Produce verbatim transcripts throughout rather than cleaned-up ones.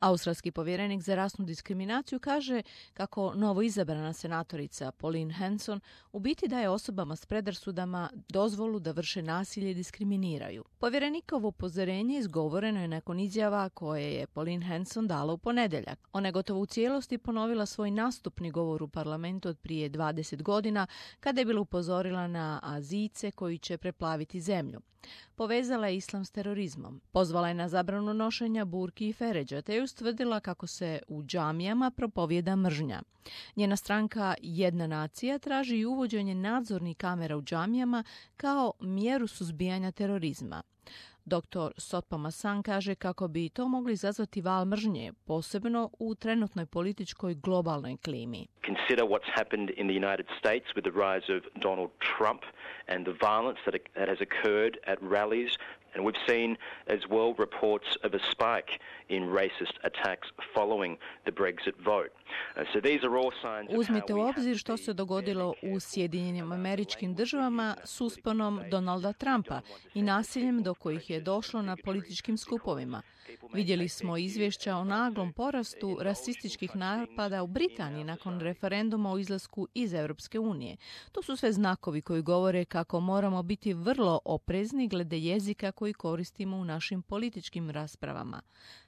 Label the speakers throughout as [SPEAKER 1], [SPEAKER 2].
[SPEAKER 1] Australski povjerenik za rasnu diskriminaciju kaže kako novo izabrana senatorica Pauline Hanson u biti daje osobama s predrasudama dozvolu da vrše nasilje i diskriminiraju. Povjerenikovo upozorenje izgovoreno je nakon izjava koje je Pauline Hanson dala u ponedjeljak. Ona je gotovo u cijelosti ponovila svoj nastupni govor u parlamentu od prije dvadeset godina kada je bila upozorila na Azijce koji će preplaviti zemlju. Povezala je islam s terorizmom. Pozvala je na zabranu nošenja burki i feređa, te je ustvrdila kako se u džamijama propovijeda mržnja. Njena stranka Jedna nacija traži i uvođenje nadzornih kamera u džamijama kao mjeru suzbijanja terorizma. doktor Sotpamasan kaže kako bi to mogli izazvati val mržnje, posebno u trenutnoj političkoj globalnoj klimi.
[SPEAKER 2] Consider what's happened in the United States with the rise of Donald Trump and the violence that, that has occurred at rallies. And we've seen as well reports of a spike in racist attacks following the Brexit vote. Uh, so these are all signs of
[SPEAKER 1] Uzmite
[SPEAKER 2] how
[SPEAKER 1] u
[SPEAKER 2] we
[SPEAKER 1] obzir
[SPEAKER 2] have
[SPEAKER 1] što
[SPEAKER 2] to
[SPEAKER 1] se
[SPEAKER 2] be
[SPEAKER 1] dogodilo
[SPEAKER 2] very
[SPEAKER 1] u Sjedinjenim
[SPEAKER 2] careful
[SPEAKER 1] Američkim
[SPEAKER 2] about
[SPEAKER 1] Državama
[SPEAKER 2] language
[SPEAKER 1] s usponom Donalda Trumpa i nasiljem do kojih je došlo na političkim skupovima. Vidjeli smo izvješća o naglom porastu rasističkih napada u Britaniji nakon referenduma o izlasku iz Europske unije. To su sve znakovi koji govore kako moramo biti vrlo oprezni glede jezika koji koristimo u našim političkim raspravama.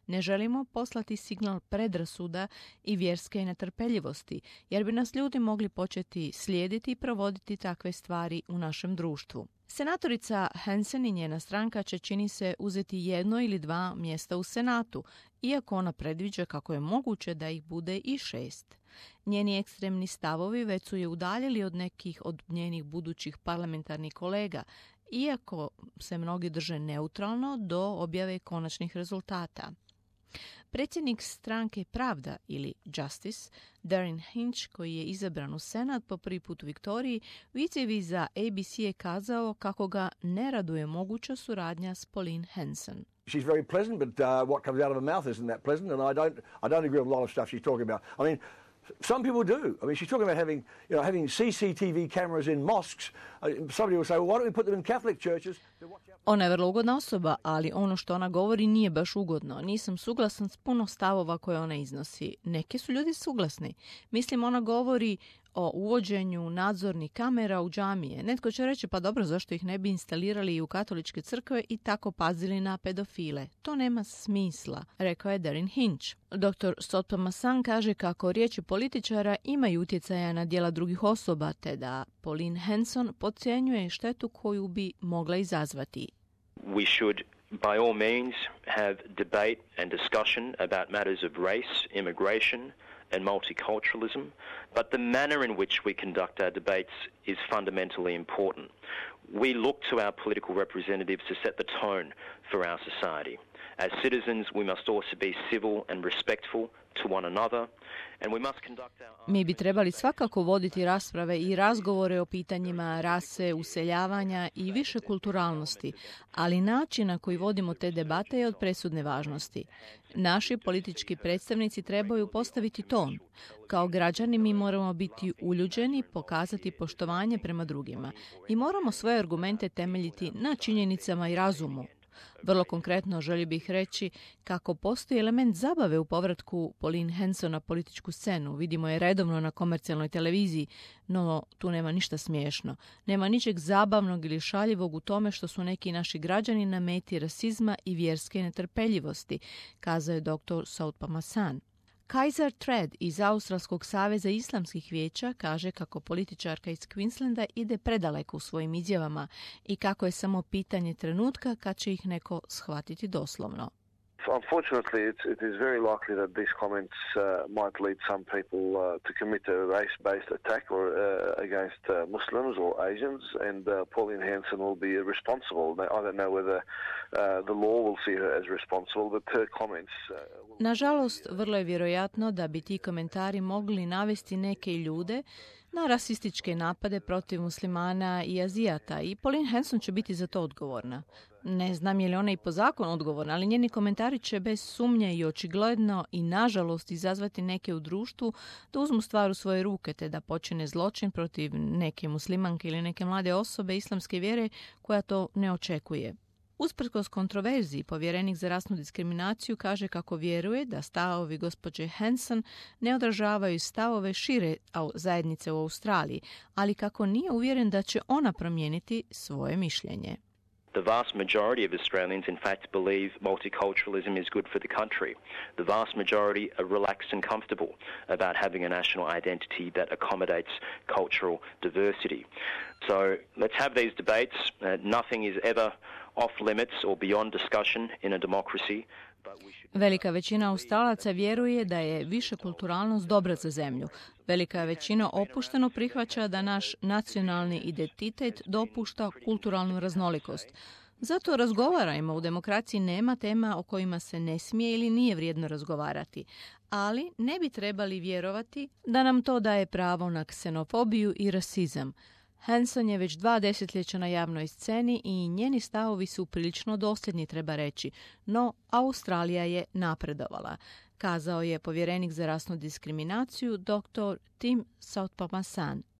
[SPEAKER 1] Ne želimo poslati signal predrasuda i vjerske netrpeljivosti, jer bi nas ljudi mogli početi slijediti i provoditi takve stvari u našem društvu. Senatorica Hanson i njena stranka će, čini se, uzeti jedno ili dva mjesta u Senatu, iako ona predviđa kako je moguće da ih bude i šest. Njeni ekstremni stavovi već su je udaljili od nekih od njenih budućih parlamentarnih kolega, iako se mnogi drže neutralno do objave konačnih rezultata. Predsjednik stranke Pravda ili Justice, Darren Hinch, koji je izabran u Senat po prvi put u Viktoriji, u izjavi za A B C je kazao kako ga ne raduje moguća suradnja s Pauline Hanson.
[SPEAKER 3] She's very pleasant, but uh, what comes out of her mouth isn't that pleasant, and I don't, I don't agree with a lot of stuff she's talking about. I mean, some people do. I mean, she's talking about having, you know, having C C T V cameras in mosques. Uh, somebody will say, well, why don't we put them in Catholic churches?
[SPEAKER 1] Ona je vrlo ugodna osoba, ali ono što ona govori nije baš ugodno. Nisam suglasan s puno stavova koje ona iznosi. Neki su ljudi suglasni. Mislim, ona govori o uvođenju nadzornih kamera u džamije. Netko će reći, pa dobro, zašto ih ne bi instalirali i u katoličke crkve i tako pazili na pedofile? To nema smisla, rekao je Darren Hinch. doktor Sotpamasan kaže kako riječi političara imaju utjecaja na djela drugih osoba, te da Pauline Hanson podcjenjuje štetu koju bi mogla izazvati.
[SPEAKER 2] We should by all means have debate and discussion about matters of race, immigration and multiculturalism, but the manner in which we conduct our debates is fundamentally important. We look to our political representatives to set the tone for our society. As citizens, we must also be civil and respectful to one another, and we must conduct our...
[SPEAKER 1] Mi bi trebali svakako voditi rasprave i razgovore o pitanjima rase, useljavanja i više kulturalnosti, ali način na koji vodimo te debate je od presudne važnosti. Naši politički predstavnici trebaju postaviti ton. Kao građani mi moramo biti uljuđeni, pokazati poštovanje prema drugima i moramo svoje argumente temeljiti na činjenicama i razumu. Vrlo konkretno želio bih reći kako postoji element zabave u povratku Pauline Hanson na političku scenu. Vidimo je redovno na komercijalnoj televiziji, no tu nema ništa smiješno. Nema ničeg zabavnog ili šaljivog u tome što su neki naši građani na meti rasizma i vjerske netrpeljivosti, kazao je doktor Sotpamasan. Kaiser Thread iz Australskog saveza islamskih vijeća kaže kako političarka iz Queenslanda ide predaleko u svojim izjavama i kako je samo pitanje trenutka kad će ih neko shvatiti doslovno.
[SPEAKER 4] Unfortunately, it's, it is very likely that these comments uh, might lead some people uh, to commit a race-based attack or uh, against uh, Muslims or Asians, and uh, Pauline Hanson will be responsible. I don't know whether uh, the law will see her as responsible, but her comments... Uh, will...
[SPEAKER 1] Nažalost, vrlo je vjerojatno da bi ti komentari mogli navesti neke ljude na rasističke napade protiv muslimana i Azijata i Pauline Hanson će biti za to odgovorna. Ne znam je li ona i po zakonu odgovorna, ali njeni komentari će bez sumnje i očigledno i nažalost izazvati neke u društvu da uzmu stvar u svoje ruke te da počine zločin protiv neke muslimanke ili neke mlade osobe islamske vjere koja to ne očekuje. Usprkos kontroverziji, povjerenik za rasnu diskriminaciju kaže kako vjeruje da stavovi gospođe Hanson ne odražavaju stavove šire zajednice u Australiji, ali kako nije uvjeren da će ona promijeniti svoje mišljenje.
[SPEAKER 2] The vast majority of Australians, in fact, believe multiculturalism is good for the country. The vast majority are relaxed and comfortable about having a national identity that accommodates cultural diversity. So let's have these debates. Uh, nothing is ever off limits or beyond discussion in a democracy.
[SPEAKER 1] Velika većina Australaca vjeruje da je višekulturalnost dobra za zemlju. Velika većina opušteno prihvaća da naš nacionalni identitet dopušta kulturalnu raznolikost. Zato razgovarajmo, u demokraciji nema tema o kojima se ne smije ili nije vrijedno razgovarati. Ali ne bi trebali vjerovati da nam to daje pravo na ksenofobiju i rasizam. Hanson je već dva desetljeća na javnoj sceni i njeni stavovi su prilično dosljedni, treba reći, no Australija je napredovala, kazao je povjerenik za rasnu diskriminaciju dr. Tim Soutphommasane.